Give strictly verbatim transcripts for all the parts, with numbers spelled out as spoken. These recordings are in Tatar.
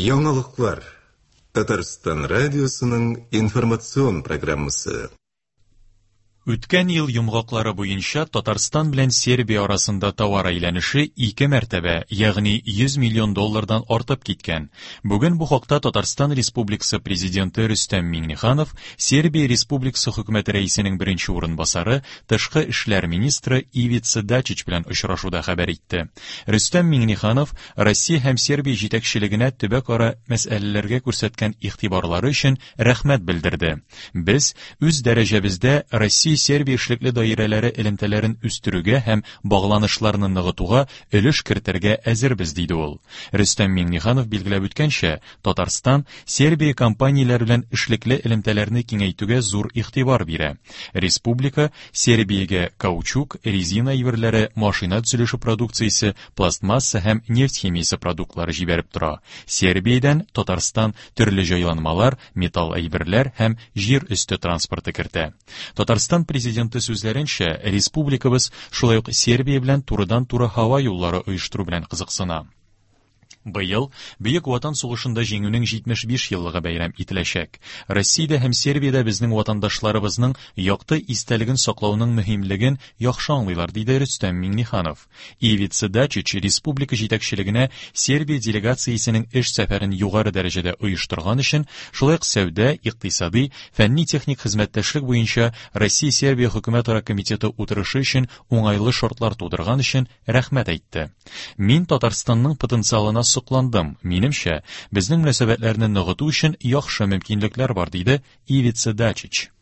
Яңалыклар. Татарстан радиосының информацион программасы. Үткән ел йомгаклары буенча Татарстан белән Сербия арасында товар әйләнеше ике мәртәбә, ягъни йөз миллион доллардан артып киткән. Бүген бу хакта Татарстан Республикасы Президенты Рөстәм Миңнеханов Сербия Республикасы хөкүмәте рәисенең беренче урынбасары, тышкы эшләр министры Ивица Дачич белән очрашуда хәбәр итте. Рөстәм Миңнеханов Россия һәм Сербия җитәкчелегенә төбәкара мәсьәләләргә күрсәткән игътибарлары өчен рәхмәт белдерде. Без үз дәрәҗәбездә Россия Сербия эшлекле даирәләре элемтәләрен үстерүгә һәм багланышларны ныгытуга өлеш кертергә әзербез, диде ул. Рөстәм Миңнеханов билгеләп үткәнчә, Татарстан Сербия компанияләре белән эшлекле элемтәләрне киңәйтүгә зур игътибар бирә. Республика Сербиягә каучук, резина әйберләре, машина төзелеше продукциясе, пластмасса һәм нефть химиясе продуктлары җибәреп тора. Сербиядән Татарстан төрле җайланмалар, металл әйберләр һәм җир өсте транспорты кертә. Татарстан Президенты сүзләренчә, республикабыз шулай ук Сербия белән турыдан-туры һава юллары оештыру белән кызыксына. Быел Бөек Ватан сугышында җиңүнең җитмеш биш еллыгы бәйрәм ителәчәк. Россиядә һәм Сербиядә безнең ватандашларыбызның якты истәлеген саклауның мөһимлеген яхшы аңлыйлар, диде Рөстәм Миңнеханов. Ивица Дачич республика җитәкчелегенә Сербия делегациясенең эш сәфәрен югары дәрәҗәдә оештырган өчен, шулай ук сәүдә, икътисади, фәнни-техник хезмәттәшлек буенча Россия-Сербия хөкүмәтара комитеты утырышы өчен уңайлы шартлар тудырган өчен рәхмәт әйтте. Мин Татарстанның потенциалына сокландым. Минемчә, безнең мөнәсәбәтләрне ныгыту өчен яхшы мөмкинлекләр бар, диде Ивица Дачич.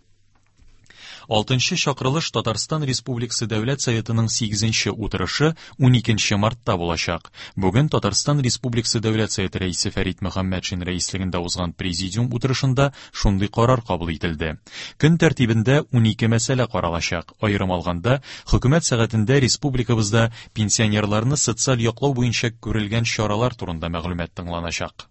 Алтынчы чакырылыш Татарстан Республикасы Дәүләт Советының сигезенче утырышы уникенче мартта булачак. Бүген Татарстан Республикасы Дәүләт Советы рәисе Фәрит Мөхәммәтшин рәислегендә узган президиум утырышында шундый карар кабул ителде. Көн тәртибендә унике мәсьәлә каралачак. Аерым алганда, хөкүмәт сәгатендә республикабызда пенсионерларны социаль яклау буенча күрелгән чаралар турында мәгълүмат тыңланачак.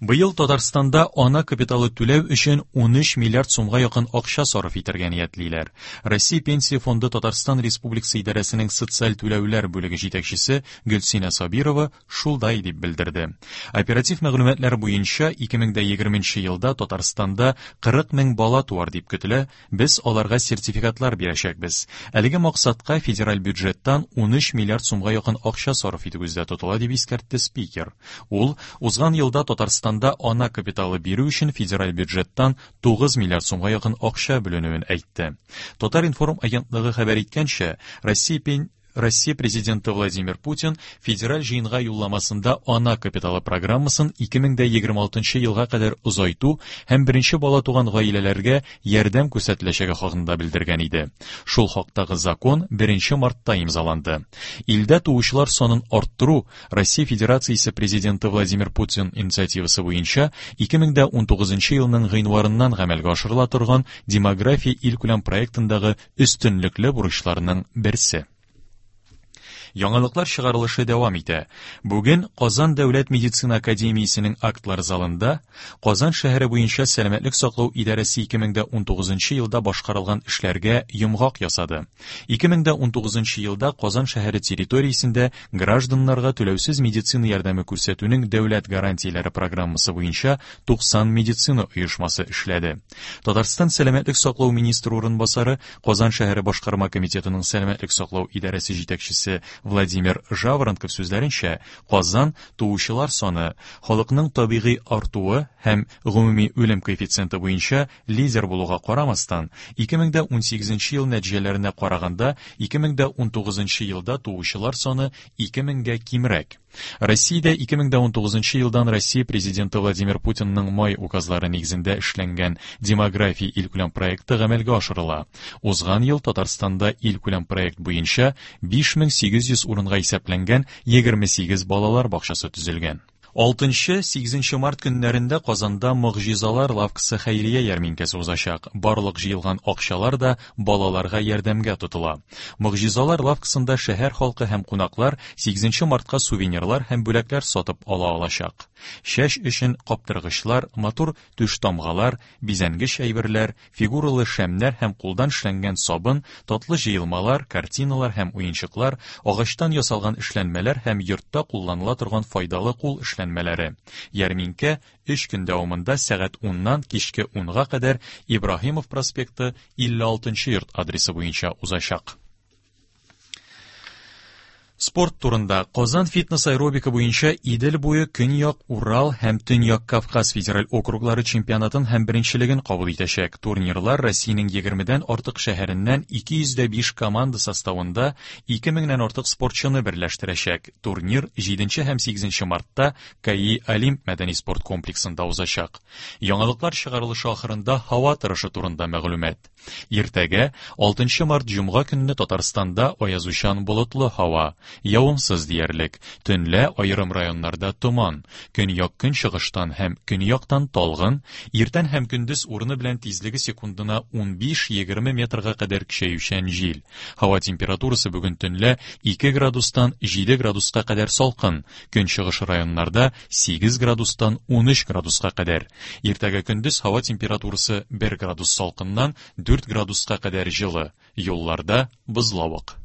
Быел Татарстанда ана капиталы түләү өчен унөч миллиард сумга якын акча сарыф итәргә ниятлиләр. Россия Пенсия фонды Татарстан Республикасы идарәсенең социаль түләүләр бүлеге җитәкчесе Гөлсинә Сабирова шулай дип белдерде. Оператив мәгълүматлар буенча ике мең дә егерменче елда Татарстанда кырык мең бала туар дип көтелә, без аларга сертификатлар бирәчәкбез. Әлеге максатка федераль бюджеттан унөч миллиард сумга якын акча сарыф итү күздә тотыла, дип искәртте спикер. Ул узган елда Татарстанда ана капиталы бирү өчен федераль бюджеттан тугыз миллиард сумга якын акча бүленүен әйтте. Татар-информ агентлыгы хәбәр иткәнчә, Россия пен-, Россия президенты Владимир Путин федераль җыенга юлламасында ана капиталы программасын ике мең дә егерме алтынчы елга кадәр озайту һәм беренче бала туган гаиләләргә ярдәм күрсәтеләчәге хакында белдергән иде. Шул хактагы закон беренче мартта имзаланды. Илдә туучылар санын арттыру Россия Федерациясе президенты Владимир Путин инициативасы буенча ике мең дә унтугызынчы елның гыйнварыннан гамәлгә ашырыла торган демография илкүләм проектындагы өстенлекле бурычларның берсе. Яңалыклар чыгарылышы дәвам итә. Бүген Казан Дәүләт медицина академиясенең актлар залында Казан шәһәре буенча сәламәтлек саклау идарәсе ике мең дә унтугызынчы елда башкарылган эшләргә йомгак ясады. Ике мең дә унтугызынчы елда Казан шәһәре территориясендә гражданнарга түләүсез медицина ярдәме күрсәтүнең дәүләт гарантияләре программасы буенча туксан медицина оешмасы эшләде. Татарстан сәламәтлек саклау министры урынбасары, Казан шәһәре башкарма комитетының сәламәтлек саклау идарәсе җитәкчесе Владимир Жаворонков сүзләренчә, Казан туучылар саны халыкның табигый артуы һәм гомуми үлем коэффициенты буенча лидер булуга карамастан, ике мең дә унсигезенче ел нәтиҗәләренә караганда ике мең дә унтугызынчы елда туучылар саны ике меңгә кимрәк. Россиядә ике мең дә унтугызынчы елдан Россия президенты Владимир Путинның май указлары нигезендә эшләнгән демография илкүләм проекты гамәлгә ашырыла. Узган ел Татарстанда илкүләм проект буенча биш мең сигез йөз урынга исәпләнгән егерме сигез балалар бакчасы төзелгән. Алтынчы, сигезенче март көннәрендә Казанда Могҗизалар лавкасы хәйрия ярминкәсе узачак. Барлык җыелган акчалар да балаларга ярдәмгә тотыла. Могҗизалар лавкасында шәһәр халкы һәм кунаклар сигезенче мартка сувенирлар һәм бүләкләр сатып ала алачак. Чәч өчен каптыргычлар, матур түш тамгалар, бизәнгеч әйберләр, фигуралы шәмнәр һәм кулдан эшләнгән сабын, татлы җыелмалар, картиналар һәм уенчыклар, агачтан ясалган эшләнмәләр һәм йортта кулланыла торган файдалы кул эшләнмәләре. эшләнмәләре. Ярминкә өч көн дәвамында сәгать уннан кичке унга кадәр Ибраһимов проспекты илле алтынчы йорт адресы буенча узачак. Спорт турында. Казан фитнес-аэробика буенча Идел буе, Көньяк, Урал һәм Төньяк Кавказ федераль округлары чемпионатын һәм беренчелеген кабул итәчәк. Турнирлар Россиянең егермедән артык шәһәреннән ике йөз дә биш команда составында ике меңнән артык спортчыны берләштерәчәк. Турнир җиденче һәм сигезенче мартта КАИ Олимп мәдәни спорт комплексында узачак. Яңалыклар чыгарылышы ахырында һава торышы турында мәгълүмат. Иртәгә алтынчы март җомга көнне Татарстанда аязучан болытлы һава, явымсыз диярлек. Төнлә аерым районнарда томан, көньяк көнчыгыштан һәм көньяктан талгын, иртән һәм көндез урыны белән тизлеге секундына унбиш-егерме метрга кадәр көчәючән җил. Һава температурасы бүген төнлә ике градустан җиде градуска кадәр салкын, көнчыгыш районнарда сигез градустан унөч градуска кадәр. Иртәгә көндез һава температурасы бер градус салкыннан дүрт градуска кадәр җылы. Юлларда бозлавык.